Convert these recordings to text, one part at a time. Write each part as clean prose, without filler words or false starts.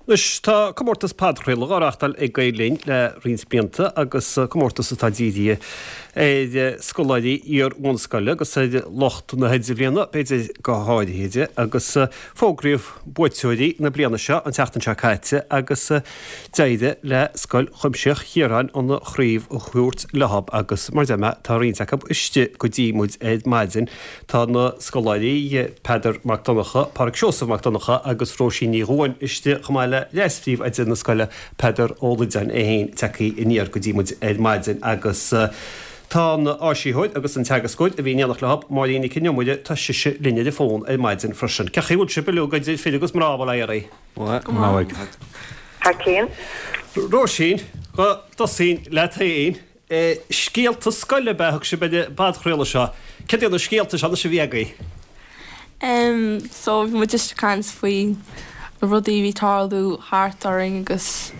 Anois, tá comórtas podchraoladh á reáchtáil ag Gael Linn le roinnt blianta agus comórtas atá dírithe ar scoláirí iar-bhunscoile agus ar lucht na hidirbhliana, b'fhéidir go háirithe, agus fógraíodh buaiteoirí na bliana seo an tseachtain seo caite agus d'éirigh le Scoil Chuimsitheach Chiaráin an chraobh a thabhairt leo agus mar a deir mé, tá roinnt acu istigh go dtí muid ar maidin. Tá na scoláirí Peadar Mac Donncha, Pádraig Seosamh Mac Donncha agus Róisín Ní Dhubháin istigh chomh maith le leas-phríomhoide na scoile Peadar Ó Loideáin é féin tagtha aniar go dtí muid ar maidin agus tá an áisitheoir agus an teagascóir a bhí in éineacht leo, Máirín Nic an Iomaire, tá sise linn ar an bhfón ar maidin freisin. Cén chaoi a bhfuil sibh uilig idir fir agus mná, bail ó Dhia oraibh? Go maith. Thar cionn. Róisín, go dtosóinn leat féin. Scéalta scoile ab ea a thug sibh ar an bpodchraoladh seo. Céard iad na scéalta seo anois a bhí agaibh? Em, so bhí muid just ag caint faoi na rudaí a bhí ag tarlú thart orainn agus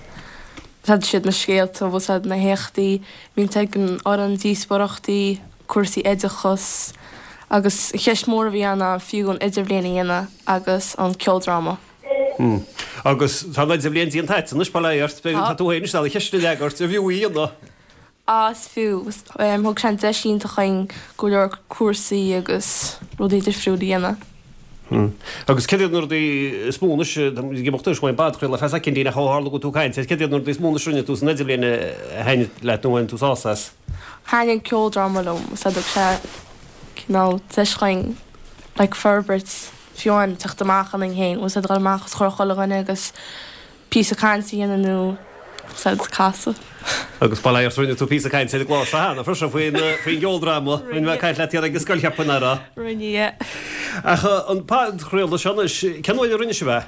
siad siad na scéalta, bhfuil 's a'd, na héachtaí a bhíonn ag an fhoireann, díospóireachtaí, cúrsaí oideachais agus an cheist mhór a bhí ann ná an fiú an idirbhliain a dhéanamh agus an ceoldráma. Hmm. Agus tá an idirbhliain déanta agat anois, bail ó Dhia ort, tá tú féin anois an cheist a fhreagairt, an bhfiú í a dhéanamh? Á, is fiú. Thug sé an deis iontach dhúinn go leor cúrsaí agus rudaí difriúil a dhéanamh. Hmm. Agus céard iad na rudaí is mó anois, tá muid ag imeacht anois ón bpodchraoladh ar feadh soicindín ach ó tharla go bhfuil tú ag caint air, céard iad na rudaí is mó anois a rinne tú san idirbhliain a thaitnigh leat nó a bhain tú sásamh as? Thaitnigh an ceoldráma liom, is thug sé cineál deis dhúinn like forbairt fiú amháin teacht amach ionainn féin, bhfuil 's a'd, dul amach os comhair chuile dhuine agus píosa cainte a dhéanamh nó bhfuil 's a'd casadh. Agus bail ó Dhia ort, rinne tú píosa cainte ar an gclár seo cheana freisin faoin faoin gceoldráma. Rinne mé caint leat thiar ag an scoil cheapfainn, nach raibh? Rinne, yeah. Ach an podchraoladh seo anois, cén uair a rinne sibh é?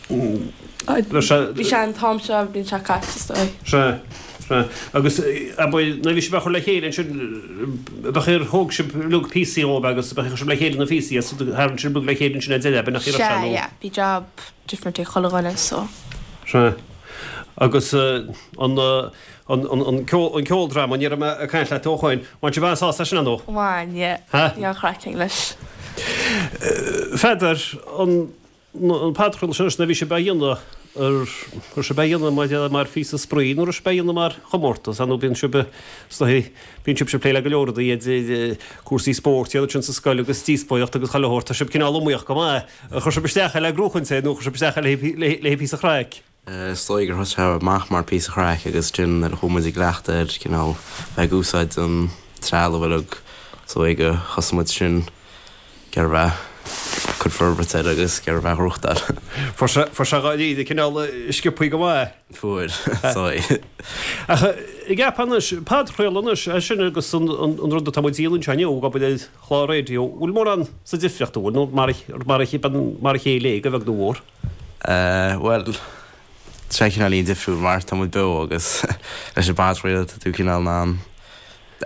Bhí sé an t-am seo an bhliain seo caite, is dóigh. Sea, sea. Agus abair, nuair a bhí sibh á chur le chéile ansin, b'ea ar thóg sibh uilig píosaí dhóibh agus b'ea chuir sibh le chéile na píosaí agus tharraing sibh uilig le chéile ansin ar deireadh, ab in nach raibh sé nó? Sea, yeah. Bhí job different ag chuile dhuine so. Sea. Agus an. An ceoldráma, ní raibh mé ag caint leat ó shoin. Bhain sibh an-sásamh as sin, ar ndóigh? Bhain, yeah. Bhí an-chraic againn leis. Pheadair, an podchraoladh sin anois, nuair a bhí sibh á dhéanamh, an raibh sibh á dhéanamh mar, mar phíosa spraoi nó raibh sibh á dhéanamh mar chomórtas? Ar ndóigh bíonn sibh, is dóigh, bíonn sibhse ag plé le go leor rudaí idir cúrsaí spóirt, iad ansin sa scoil agus díospóireacht agus chuile shórt. Tá sibh cineál iomaíoch go maith. Ar chuir sibh isteach é le gnóchaint é nó chuir sibh isteach é le haghaidh píosa craic? Is dóigh gur thosaigh sé amach mar píosa chraic agus ansin nuair a chuaigh muid i gcleachtadh air, cineál bheith ag úsáid an trealamh uilig, is dóigh gur thosaigh muid sin ag iarraidh bheith ag cur forbairt air agus ag iarraidh bheith á ghnóthachtáil. Fuair sé, fuair sé dháiríre cineál sciobthaí go maith. Fuair, is dóigh. Ach an gceapfá anois, podchraoladh anois, é sin agus an, an rud atá muid a dhéanamh anseo inniu, ag obair ar chlár raidió, bhfuil mórán sa difríocht, an bhfuil, nó mar a, mar a, mar a chéile é, go bheag nó mhór? Bhuel, tá sé cineáilín difriúil mar tá muid beo agus leis an bpodchraoladh tá tú cineál in ann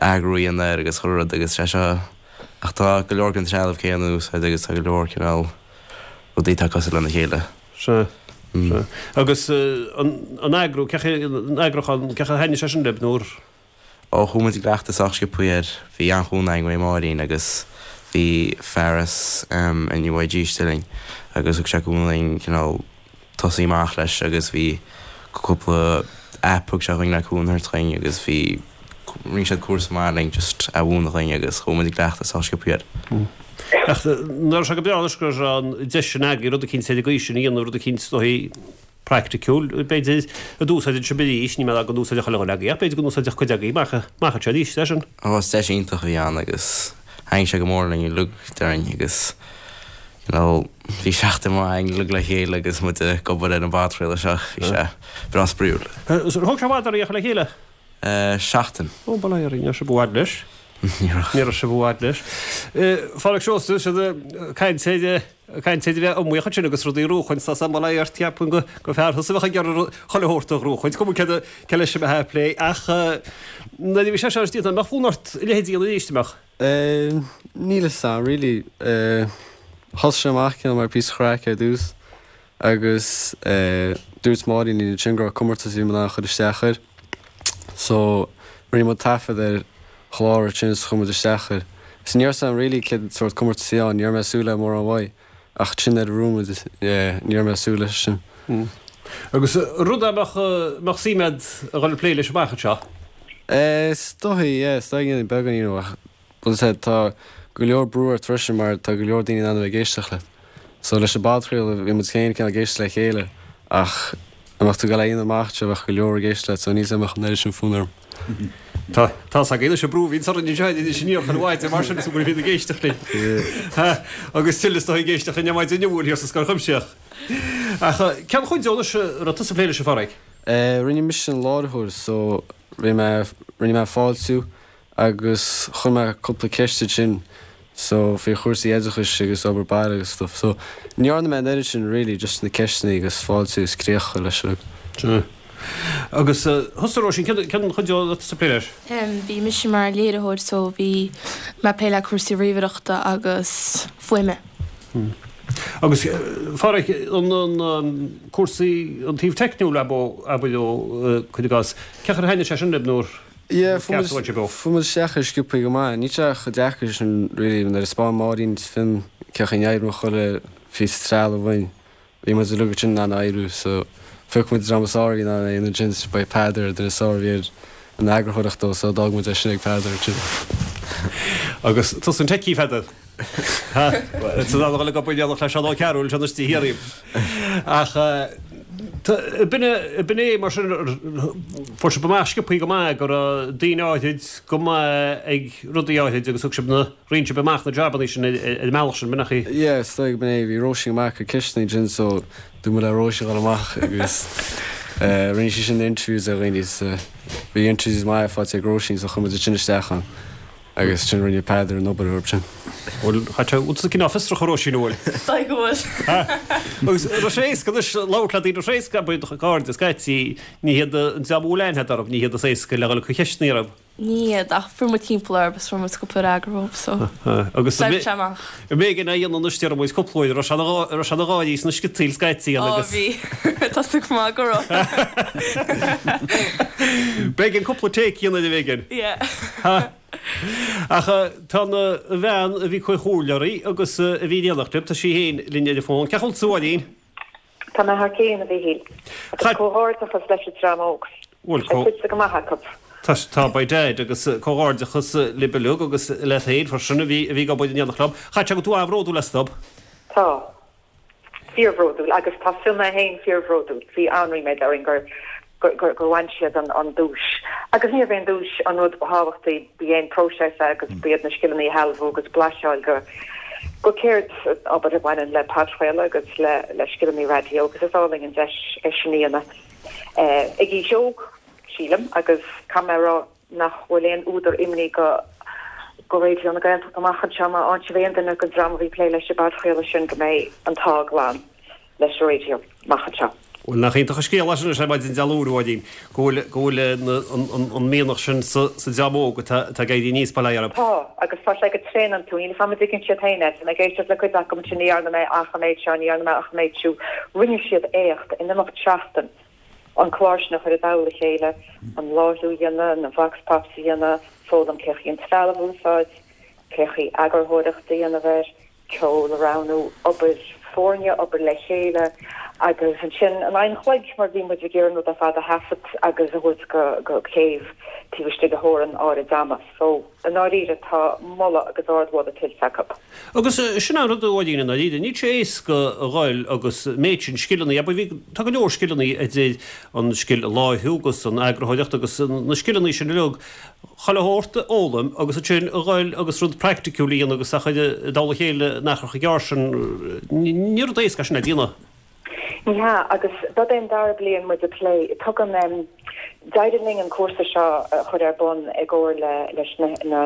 eagrú a dhéanamh air agus chuile rud agus sé seo ach tá go leor den trealamh céanna in úsáid agus tá go leor cineál rudaí atá cosúil lena chéile. Sea, sea. Agus an eagrú, cén chaoi, an eagrúchán, cén chaoi ar thaitnigh sé sin libh nó ar. Ó, chuaigh muid i gcleachtadh sách sciobthaí air. Bhí an-chúnamh againn uaidh Máirín agus bhí fear as NUIG istigh linn agus thug sé cúnamh dúinn cineál tosaí amach leis agus bhí cúpla app thug sé dhúinn le cúnamh a thabhairt dhúinn agus bhí, rinne siad cúrsa maith linn just a mhúineadh dhúinn agus chuaigh muid i gcleachtadh sách sciobthaí air. Ach nach raibh sé go breá anois go raibh an deis sin agaibh rud eicínt ar an gcaoi sin a dhéanamh, rud eicínt is dóigh praiticiúil, b'fhéidir, a d'úsáideann sibh arís, níl mé ag rá go n-úsáidfeadh chuile dhuine agaibh, ach b'fhéidir go n-úsáidfeadh cuid agaibh amach, amach anseo arís, é sin. Ó, is deis iontach a bhí ann agus thaitnigh sé go mór linn uilig, déarfainn, agus you know bhí seachtain mhaith againn uilig le chéile agus muid ag obair ar an bpodchraoladh seo, bhí sé breá spraíúil. Thóg sé i bhfad oraibh é a chur le chéile? Seachtain. Ó, bail ó Dhia oraibh, ní raibh sibh i bhfad leis. Ní raibh. Ní raibh sibh i bhfad leis. Phádraig Seosamh, siad ag caint ar, ag caint ar a bheith iomaíoch ansin agus rudaí a ghnóchaint, tá sam bail ó Dhia ort, cheapfainn gur gur fear thusa a bheadh ag iarraidh chuile shórt a ghnóchaint, cuma cé cé leis a bheith ag plé, ach nuair a bhí sé seo déanta, an mbeadh fonn ort a leithéid a dhéanamh arís, an mbeadh? Níl a fhios a'm, really. Thosaigh sé amach cineál mar píosa chraic ar dtús agus dúirt Máirín linn ansin go raibh comórtas a bhí muid in ann a chur isteach air. So rinne muid taifead ar chlár ansin is chuir muid isteach air. So ní raibh a fhios a'm really cén sórt comórtas a bhí ann, ní raibh mé ag súil le mórán uaidh. Ach ansin nuair a bhuaigh muid, yeah, ní raibh mé ag súil leis sin. Agus rud a mbeadh, mbeadh suim agat a dhul ag plé leis amach anseo? Eh, is dóigh, yeah, is dóigh go ndéanfainn beagán, you know, ach bhfuil a fhios agat, tá go leor brú ort freisin mar tá go leor daoine in ann a bheith ag éisteacht leat. So leis an bpodchraoladh, bhí muid féin cineál ag éisteacht le chéile ach dá mbeadh tú ag dul é a dhéanamh amach anseo bheadh go leor ag éisteacht leat so níl 's agam an mbeadh an oiread sin fonn orm. Tá tá's againn anois an brú a bhíonns orainn anseo anois in iarthar mhaide mar sin is go bhfuil ag éisteacht linn. Agus tuilleadh is dóigh ag éisteacht linn ar maidin inniu thiar sa Scoil Chuimsitheach. Ach cén chuid de anois a raibh tusa ag plé leis a Phádraig? Rinne mise an láithreoir so rinne mé rinne mé fáiltiú agus chuir mé cúpla ceist ansin so faoi chúrsaí oideachais agus obair baile agus stuff so ní dhearna mé an oiread sin really just na ceisteanna agus fáiltiú is críoch a chur leis an Sea. Agus thusa Róisín cén cén chuid de a raibh tusa ag plé leis? Bhí mise mar léiritheoir so bhí mé ag plé le cúrsaí ríomhaireachta agus fuaime. Agus Phádraig an an cúrsaí an taobh teicniúil ab abair ó cuir i gcás cén chaoi ar thaitnigh sé sin libh nó Yeah, fuair muid isteach air sciobthaí go maith. Níl sé chomh deacair sin really nuair a spáin Máirín is Fionn cén chaoi a n-oibríonn chuile phíosa trealaimh uainn. Bhí muid uilig ansin in ann oibriú so phioc muid an dream is fearr a bhí in ann é a dhéanamh ansin so ba é Peadar an duine is fearr a bhí ar an eagarthóireacht dó so d'fhág muid é sin ag Peadar ansin. Agus tusa an techie Pheadair? Ha? San am a dhul ag obair in éineacht le Seán Ó Cearúil anseo istigh thiar. Ach b'in é mar sin fuair sibh amach sciobthaí go maith go raibh daoine áithrid go maith ag rudaí áithrid agus thug sibh na, roinn sibh amach na jabannaí sin ar an mbealach sin, b'in é? Yeah, is dóigh go b'in é. Bhí Róisín go maith ag cur ceisteanna ansin so dúirt muid le Róisín dhul amach agus rinne sí sin na interviews ar dhaoine so bhí interviews maith faighte ag Róisín so chuir muid sin isteach ann. Agus ansin rinne Peadar an obair orthu sin. Bhuel, chaith sé, bhfuil tusa cineál fiosrach a Róisín, an bhfuil? Is dóigh go bhfuil. Agus raibh sé éasca anois labhairt le daoine, raibh sé éasca, abair, do chairde, scaití, ní hiad an dream a bhfuil aithne agat orthu, ní hiad is éasca le dhul ag cur cheisteanna orthu. Ní hiad, ach fuair muid timpeall orthu agus fuair muid cúpla fhreagra uathu, so Agus d'oibrigh sé amach. B'éigean é a dhéanamh anois, déarfaidh muid, cúpla uair, raibh sé raibh sé ina gháirí sna sciotaíl scaití Ó, agus. bhí. Tá súil go maith go raibh. B'éigean cúpla take a dhéanamh air b'éigean. Yeah. Ach tá an bhean a bhí ag cur chomhairle oraibh agus a bhí in éineacht libh, tá sí féin linn ar an bhfón. Cén chaoi a bhfuil tú, a Mháirín? Tá mé thar cionn, a Mhíchíl. Agus comhghairdeachas leis an dream óg. Bhuel, Tá tuillte go maith acu. Tá, tá, by dad, agus comhghairdeachas libh uilig agus leat féin freisin a bhí, a bhí ag obair in éineacht leo. Caithfidh sé go bhfuil tú an-bhródúil astu. Tá. Fíorbhródúil. Agus tá Fionn é féin fíorbhródúil. Bhí an-ríméad orainn gur, gur, gur, gur bhain siad an, an duais. Agus níorbh é an duais an rud ba thábhachtaí, ba é an próiseas é agus ba iad na scileanna a shealbhú agus blaiseadh a fháil go, go céard, obair a bhaineann le podchraoladh agus le, le scileanna raidió agus is álainn an deis é sin a dhéanamh ag aois óg, sílim, agus caithfidh mé a rá nach bhfuil aon údar imní go go Raidió na Gaeltachta amach anseo má fhaigheann sibh aon duine den dream a bhí ag plé leis an bpodchraoladh sin go mbeidh an t-ádh glan leis an raidió amach anseo. Bhuel, nach iontach an scéal é sin anois ar maidin Dé Luain, a Mháirín, go bhfuil, go bhfuil an mianach sin sa, sa dream óg atá, atá ag éirí aníos, bail ó Dhia orthu. Tá, agus tá sé go tréan iontu. Níl a fhios agam an dtuigeann siad féin é. Tá mé ag éisteacht le cuid acu ansin, ní dhearna mé ach an méid seo, ní dhearna mé ach an méid siúd. Rinne siad éacht in imeacht seachtain an clár sin a chur i dtoll a chéile, an láithriú a dhéanamh, na vox pops a dhéanamh, foghlaim cén chaoi an trealamh a úsáid, cén chaoi eagarthóireacht a dhéanamh air. ceol a roghnú, obair foirne, obair le chéile agus ansin in aghaidh an chloig mar bhí muid ag iarraidh an rud ar fad a thaifead agus a thabhairt go céibh taobh istigh de theorainn áirid ama. So, i ndáiríre, tá moladh agus ardmholadh tuillte acu. Agus sin an rud, a Mháirín, i ndáiríre, níl sé éasca a ghoil agus méid sin scileanna, abair, bhí, tá go leor scileanna idir an scil a láithriú agus an eagarthóireacht agus na scileanna sin uilig, chuile shórt a fhoghlaim agus ansin a ghoil agus rud praiticiúil a dhéanamh agus a chur i dtoll a chéile in achar chomh gearr sin, ní rud éasca é sin le déanamh. Ní hea, agus dob é an dara bliain muid ag plé, tugann, d'éirigh linn an cúrsa seo a chur ar bun i gcomhar le, leis na, na,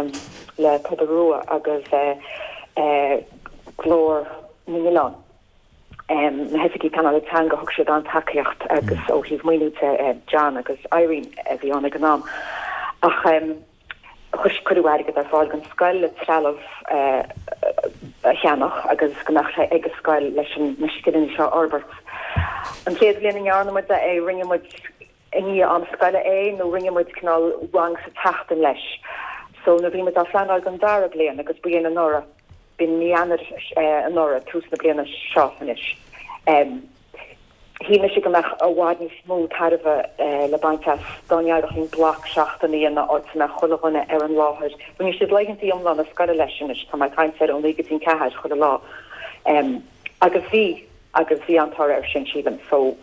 le Pobal Rua agus Glór na nOileán. na hoifigigh pleanála teanga, thug siad an-tacaíocht agus ó thaobh maoiniú de, John agus Irene a bhí ann ag an am. Ach chuir, cuireadh airgead ar fáil don scoil le trealamh a cheannach agus go mbeadh sé ag an scoil leis na scileanna seo a fhorbairt. An chéad bhliain a ndearna muid é, rinne muid i ndiaidh am scoile é nó rinne muid cineál rang sa tseachtain leis. So nuair a bhí muid á phleanáil don dara bliain agus ba in anuraidh. B'in mí Eanáir anuraidh, tús na bliana seo anois. Shíl mise go mbeadh i bhfad níos mó tairbhe le baint as dá n-éireodh linn bloc seachtaine a dhéanamh áit a mbeadh chuile dhuine ar an láthair. Rinne siad laethanta iomlána scoile leis anois, tá mé ag caint ar ó 9 go dtí an 4 chuile lá. Agus bhí, agus bhí an-toradh air sin, sílim. So,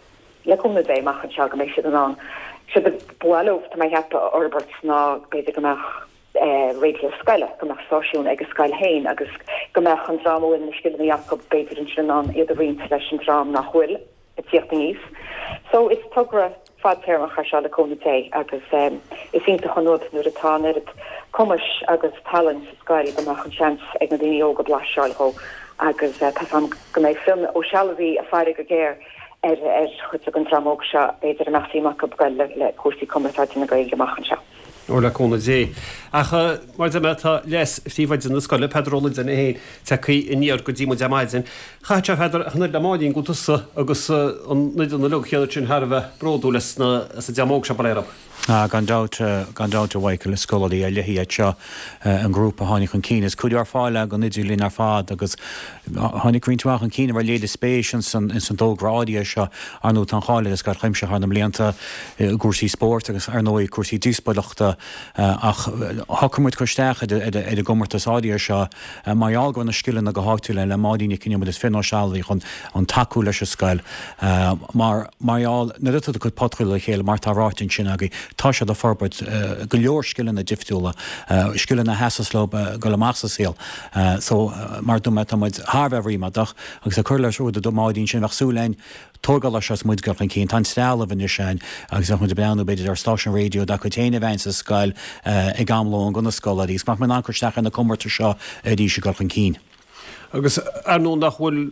le cúnamh Dé, amach anseo go mbeidh siad in ann, séard ba mhaith leo, tá mé ag ceapadh, a fhorbairt ná b'fhéidir go mbeadh, raidió scoile, go mbeadh stáisiún ag an scoil féin agus go mbeadh an dream a bhfuil na scileanna acu b'fhéidir ansin in ann iad a roinnt leis an dream nach bhfuil ag tíocht aníos. So is togra fadtéarmach é seo le cúnamh Dé agus is iontach an rud nuair atá an oiread cumais agus tallann sa scoil go mbeadh an seans ag na daoine óga blaiseadh a fháil dhó agus tá 's agam go mbeidh Fionn Ó Sealbhaí ag faire go géar ar chuid den dream óg seo b'fhéidir a mbeadh suim acu goil le cúrsaí cumarsáide na Gaeilge amach anseo. Ó, le cúnamh Dé. Ach, mar a deir mé, tá leas-phríomhoide na scoile, Peadar Ó Loideáin é féin, tagtha aniar go dtí muid ar maidin. Chaithfeadh sé, a Pheadair, ach an oiread le Máirín, go bhfuil tusa agus an fhoireann uilig chéanna sin thar a bheith bródúil as an dream óg seo, bail ó Dhia orthu. Ah, gan dabht, gan dabht, a Mhichael, is scoláirí ar leith iad seo, an grúpa a tháinig chun cinn. Is cuidiú ar fáil ag an Idirbhliain ar fad agus tháinig roinnt mhaith chun cinn a raibh léiriú spéis ins an dtogra áirithe seo. Ar ndóigh, tá an cháil ar an Scoil Chuimsitheach thar na mblianta i gcúrsaí spóirt agus, ar ndóigh, cúrsaí díospóireachta ach shocraigh muid cur isteach ar an gcomórtas áirithe seo mar gheall go raibh na scileanna go háitiúil le Máirín Nic Con Iomaire is Fionn Ó Sealbhaí chun an tacú leis an scoil mar mar gheall nuair atá tú ag cur podchraoladh le chéile mar atá ráite ansin agaibh tá siad ag forbairt go leor scileanna difriúla, scileanna a sheasas leo dul amach sa saol. So mar a dúirt mé tá muid thar a bheith ríméadach agus ag cur leis an rud a dúirt Máirín sin bheadh súil againn tógáil air seo is muid ag dul chun cinn. Tá an trealamh anois ann agus bheadh muid ag breathnú b'fhéidir ar stáisiún raidió dá gcuid féin a bheith sa scoil ag am lóin do na scoláirí agus go mbeadh muid in ann cur isteach ar na comórtais seo arís ag dul chun cinn. Agus ar ndóigh nach bhfuil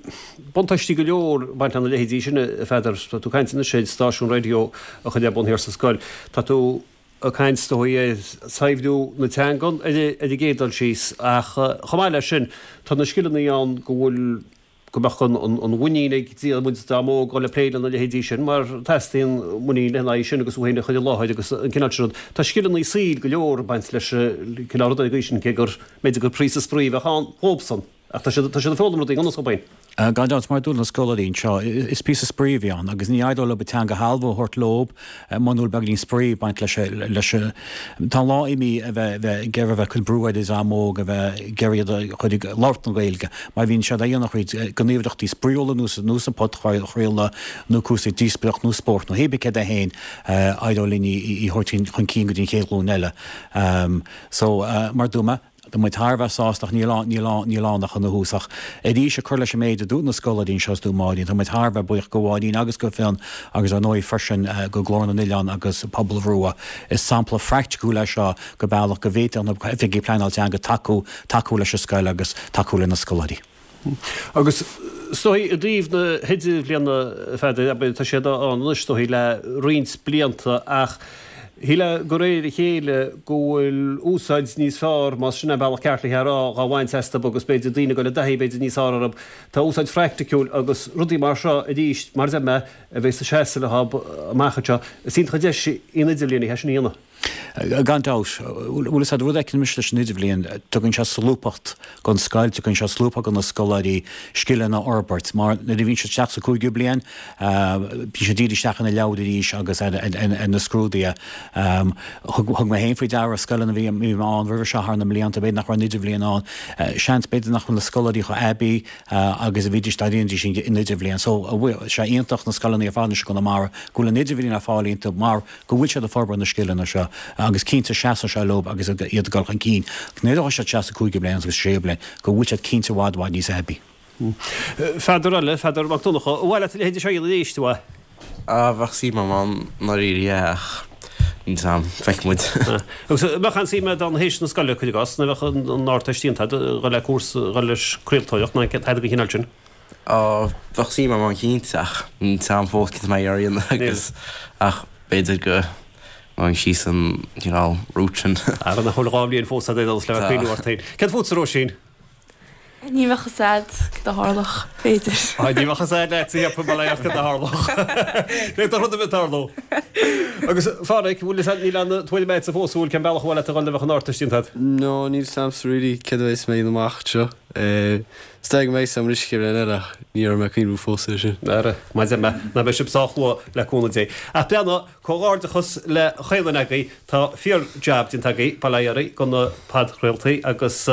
buntáistí go leor ag baint lena leithéidí sin, a Pheadair. Tá tú ag caint anois ar stáisiún raidió a chur ar bun thiar sa scoil. Tá tú ag caint is dóigh ar saibhriú na teangan ar an gcéad dul síos ach chomh maith leis sin tá na scileanna ann go bhfuil go mbeadh an mhuinín ag an dream óg dul ag plé lena leithéidí sin mar teastaíonn muinín lena aghaidh sin agus thú féin a chur i láthair agus an cineál sin rud. Tá scileanna saoil go leor ag baint leis an cineál rud ar an gcaoi sin cé gur b'fhéidir gur píosa spraoi a bheadh ann dhóibhsan ach tá siad tá siad ag foghlaim rudaí i ngan fhios dhóibh féin. Gan dabht, mar a dúirt na scoláirí anseo, is píosa spraoi a bhí ann agus ní éireodh leo an teanga a shealbhú a thabhairt leo muna bhfuil beagáinín spraoi ag baint leis. leis. Tá an lá imithe a bheith bheith ag iarraidh a bheith ag cur brú ar an dream óg a bheith ag iarraidh iad a chur ag labhairt na Gaeilge mar bhíonn siad á dhéanamh thríd gníomhaireachtaí spraíúla ar nós an podchraoladh nó cúrsaí díospóireacht nó spórt nó hé bith céard é féin éireoidh linn í a thabhairt chun cinn go dtí an chéad ghlúin eile. So, mar a dúirt mé, Tá muid thar a bheith sásta ach níl ann, níl ann, níl ann ach ina thús. Ach arís, ag cur leis an méid a dúirt na scoláirí anseo is dúirt Máirín, tá muid thar a bheith buíoch go Mháirín agus go Fionn agus ar ndóigh freisin go Glór na nOileán agus Pobal Rua. Is sampla phraiticiúil é seo go bealach go bhféadfadh na hoifigigh pleanáil teanga tacú, tacú leis an scoil agus tacú le na scoláirí. Agus is dóigh i dtaobh na hidirbhliana, a Pheadair, abair, tá siad ann anois, is dóigh, le roinnt blianta ach shílfeá de réir a chéile go bhfuil úsáid níos fearr, más sin an bealach ceart le é a rá, dhá bhaint astu agus b'fhéidir daoine ag dul i dtaithí b'fhéidir níos fearr orthu. Tá úsáid phraiticiúil agus rudaí mar seo arís, mar a deir mé, a bheas ag seasamh leo amach anseo. Is iontach an deis í an idirbhliain é sin a dhéanamh. Gan dabht. Bhuel, is é an rud a fheiceann mise leis an Idirbhliain, tugann sé solúbthacht don scoil, tugann sé solúbthacht do na scoláirí scileanna a fhorbairt, mar nuair a bhíonn siad isteach sa cúigiú bliain, bíonn siad dírithe isteach ar na leabhair arís agus ar na scrúduithe. Thug mé féin faoi deara scoileanna a bhí mé ann roimhe seo thar na mblianta, b'fhéidir nach raibh an Idirbhliain ann, seans b'fhéidir nach bhfuil na scoláirí chomh aibí agus a bhídís dá ndéanfaidís an Idirbhliain. So, tá sé iontach na scoileanna ar fad anois i gConamara go bhfuil an Idirbhliain ar fáil iontu mar go bhfuil siad ag forbairt na scileanna seo agus cinnte seasfaidh sé leo agus iad ag dul chun cinn nuair a ghabhfaidh siad isteach sa cúigiú bliain agus sa séú bliain go bhfuil siad cinnte i bhfad i bhfad níos aibí. Peadar eile, Peadar Mac Donncha, ar mhaith leat a leithéid seo a dhéanamh arís, a mhaith? Ah, bheadh suim agam ann i ndáiríre, yeah, ach níl 's a'm, feicfidh muid. Agus an mbeadh aon suim agat ann théis na scoile, cuir i gcás, nó bheadh an Ardteist déanta agat, a dhul le cúrsa, a dhul leis craoltóireacht nó tada den chineál sin? Á, bheadh suim agam ann cinnte ach níl 's a'm fós cad tá mé ag iarraidh a dhéanamh agus ach b'fhéidir go ngabhfainn síos an cineál route sin. Ara nach bhfuil 2 bhliain fós agat ar aon nós le bheith ag cuimhniú ort féin. Céard fútsa, Róisín? Ní bheadh fhios a'd cad a tharlódh, b'fhéidir. Á, ní bheadh fhios a'd leat, a cheapaim, bail ó Dhia ort cad a tharlódh. D'fhéadfadh rud ar bith tarlú. Agus, a Pháraic, bhfuil fhios a'd, níl aon tuairim a'dsa fós, an bhfuil cén bealach ar mhaith leat a dhul nuair a bheadh an Ardteist déanta a'd? No, níl 's a'msa really céard a bheas mé a dhéanamh amach anseo. Is dóigh go mbeidh agam arís an chéad bhliain eile ach ní raibh mé ag cuimhniú fós air sin. Ara, mar a deir mé, ná beidh sibh sách luath le cúnamh Dé. Ach breathnaigh, comhghairdeachas le chaon duine agaibh, tá fíor jab déanta agaibh, bail ó Dhia oraibh, go na podchraoltaí agus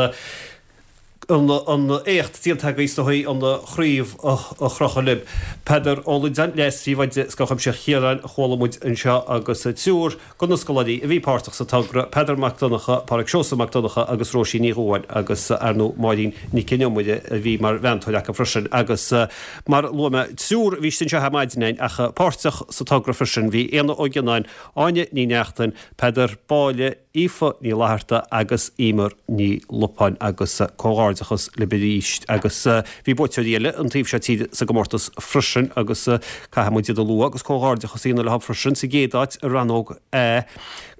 an éacht déanta agaibh is dóigh an chraobh a chrochadh libh. Peadar Ó Loideáin, Leas-Phríomhoide Scoil Chuimsitheach Chiaráin a chuala muid anseo agus triúr de na scoláirí a bhí páirteach sa togra, Peadar Mac Donncha, Pádraig Seosamh Mac Donncha agus Róisín Ní Dhubháin agus ar ndóigh Máirín Nic Con Iomaire a bhí mar mheantóir acu freisin agus mar a luaigh mé triúr a bhí istigh anseo ar maidin againn ach páirteach sa togra freisin bhí Éanna Ó Gionnáin, Áine Ní Neachtain, Peadar Báille, Aoife Ní Fhlatharta agus Emer Ní Lupáin agus comhghairdeachas libh arís agus bhí buaiteoirí eile an taobh seo tíre sa gcomórtas freisin agus caithfidh muid iad a lua agus comhghairdeachas a dhéanamh leo freisin sa gcéad áit i rannóg A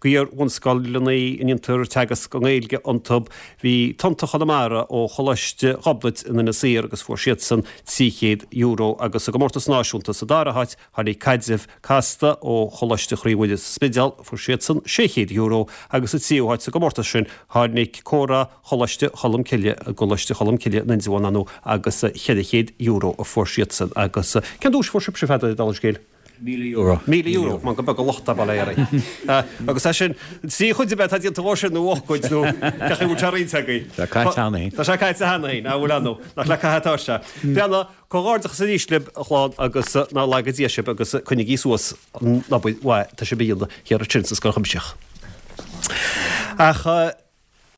d'iar-bhunscoileanna a ndéantar teagasc i nGaeilge iontu bhí Tonnta Chonamara ó Choláiste Ghobnait in Inis Oírr agus fuair siadsan €300 agus sa gcomórtas náisiúnta sa dara háit Tháinig Caidreamh Casta ó Choláiste Chroí Mhuire sa Spidéal, fuair siadsan €600 agus sa tríú háit sa gcomórtas sin tháinig Comhrá Choláiste Cholmcille i gColáiste Cholmcille in Indreabhán ar ndóigh agus €400 a fuair siadsan. Agus cén duais a fuair sibhse, a Pheadair, dála an scéil? €1,000. €1,000, man gur beag an locht é, bail ó Dhia oraibh. Agus é sin, trí chuid ab ea atá déanta dhó sin nó ocht gcuid nó cén chaoi a bhfuil sé roinnte agaibh? Tá sé caite cheana féin. Tá sé caite cheana féin, an bhfuil ann? Nach le caitheamh atá sé. Breathnaigh, Comhghairdeachas arís libh, a chlann, agus ná laga Dia sibh agus coinnigí suas an obair mhaith atá sibh a dhéanamh thiar ansin sa Scoil Chuimsitheach. Ach.